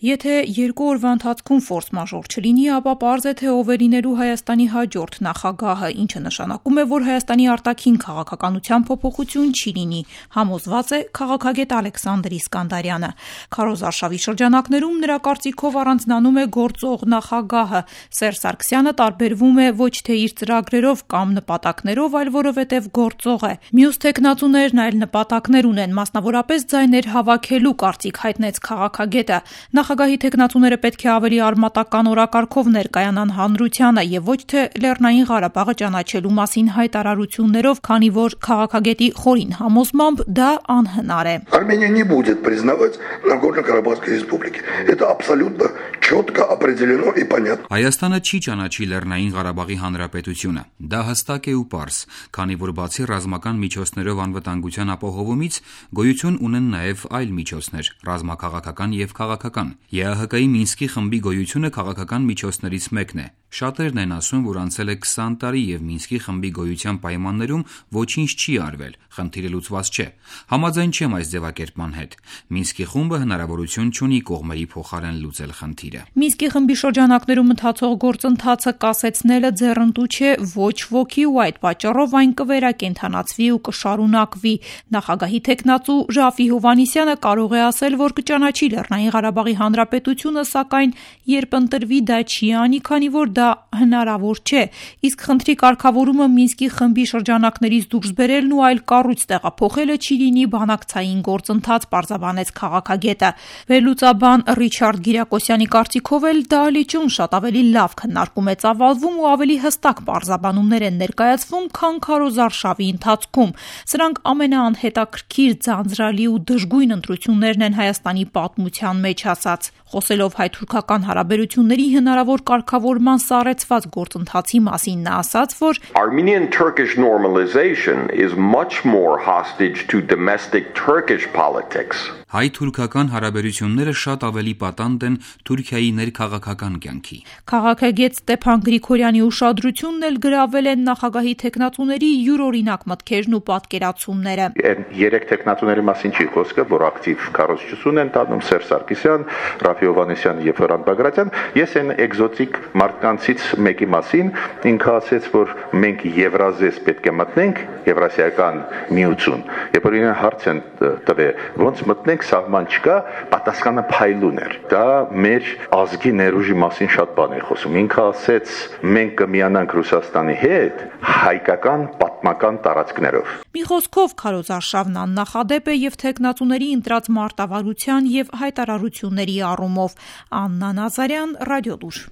Եթե 2 օրվա ընթացքում ֆորս-մաժոր չլինի, ապա պարզ է, թե ով է լինելու Հայաստանի հաջորդ նախագահը, ինչը նշանակում է, որ Հայաստանի արտաքին քաղաքականության փոփոխություն չի լինի, համոզված է քաղաքագետ Ալեքսանդր Իսկանդարյանը։ Քարոզարշավի շրջանակներում նրա կարծիքով առանձնանում է գործող նախագահը։ Սերժ Սարգսյանը տարբերվում է ոչ թե իր ծրագրերով կամ նպատակներով, այլ որովհետև գործող է։ Մյուս թեկնածուներն այլ նպատակներ ունեն, մասնավորապես ձայներ հավաքելու կարծիք հայտնեց քաղաքագետը։ Նախագահի թեկնածուները պետք է ավելի արմատական օրակարգով ներկայանան հանրությանը եւ ոչ թե Լեռնային Ղարաբաղը ճանաչելու մասին հայտարարություններով, քանի որ քաղաքագետի խորին համոզմամբ դա անհնար է։ Армения не будет признавать Нагорно-Карабахской республики. Это абсолютно четко определено и понятно. Հայաստանը չի ճանաչի Լեռնային Ղարաբաղի հանրապետությունը։ Դա հստակ է ու պարզ, քանի որ բացի ռազմական միջոցներով անվտանգության ապահովումից գոյություն ունեն նաև այլ միջոցներ՝ ռազմաքաղաքական եւ քաղաքական։ ԵԱՀԿ-ի Մինսկի խմբի գոյությունը քաղաքական միջոցներից մեկն է։ Շատերն են ասում, որ անցել է 20 տարի եւ Մինսկի խմբի գոյության պայմաններում ոչինչ չի արվել, խնդիրը լուծված չէ։ Համաձայն չեմ այս ձևակերպման հետ։ Մինսկի խումբը հնարավորություն չունի կողմերի փոխարեն լուծել խնդիրը։ Մինսկի խմբի շրջանակներում ընթացող գործընթացը կասեցնելը ձեռնտու չէ ոչ ոքի ու այդ պատճառով այն կվերակենդանացվի ու կշարունակվի։ Նախագահի թեկնածու Ժաֆի Հովհաննիսյանը կարող է ասել, որ կճանաչի Լեռնային Ղարաբաղի հանրապետությունը, սակայն երբ ընտրվի դա չի անի, քանի որ դա հնարավոր չէ։ Իսկ խնդրի կարգավորումը Մինսկի խմբի շրջանակներից դուրս բերելն ու այլ կառույց տեղափոխելը չի լինի բանակցային գործընթաց, պարզաբանեց քաղաքագետը։ Վերլուծաբան Ռիչարդ Գիրակոսյանի կարծիքով էլ դա լիճում շատ ավելի լավ քննարկում է ծավալվում ու ավելի հստակ պարզաբանումներ են ներկայացվում, քան քարոզարշավի ընթացքում։ Սրանք ամենաանհետաքրքիր, ձանձրալի ու դժգույն ընտրություններն են Հայաստանի պատմության մեջ ասաց։ Խոսելով հայ-թուրքական հարաբերությունների հնարավոր կարգավորման սառեցված գործընթացի մասին նա ասաց, որ Armenian-Turkish normalization is much more hostage to domestic Turkish politics. Հայ-թուրքական հարաբերությունները շատ ավելի պատանդ են Թուրքիայի ներքաղաքական կյանքի։ Քաղաքագետ Ստեփան Գրիգորյանի ուշադրությունն էլ գրավել են նախագահի թեկնածուների յուրօրինակ մտքերն ու պատկերացումները։ Երեք թեկնածուների մասին չի խոսքը, որ ակտիվ քարոզչություն են տանում Սերժ Սարգսյան, Ռաֆի Հովհաննիսյան եւ Հրանտ Բագրատյան։ Ես այն էկզոտիկ մարդկանցից մեկի մասին ինքը ասեց, որ մենք Եվրազես պետք է մտնենք, Եվրասիական միություն։ Երբ որ իրեն հարց են տվել, ոնց մտնենք, սահման չկա, պատասխանը փայլուն էր։ Դա մեր ազգի ներուժի մասին շատ բան է խոսում։ Ինքը ասեց, մենք կմիանանք Ռուսաստանի հետ հայկական պատմական տարածքներով։ Մի խոսքով քարոզարշավն աննախադեպ է եւ թեկնածուների ընտրած մարտավարության եւ հայտարարությունների առումով։ Աննա Նազարյան, Ռադիոլուր։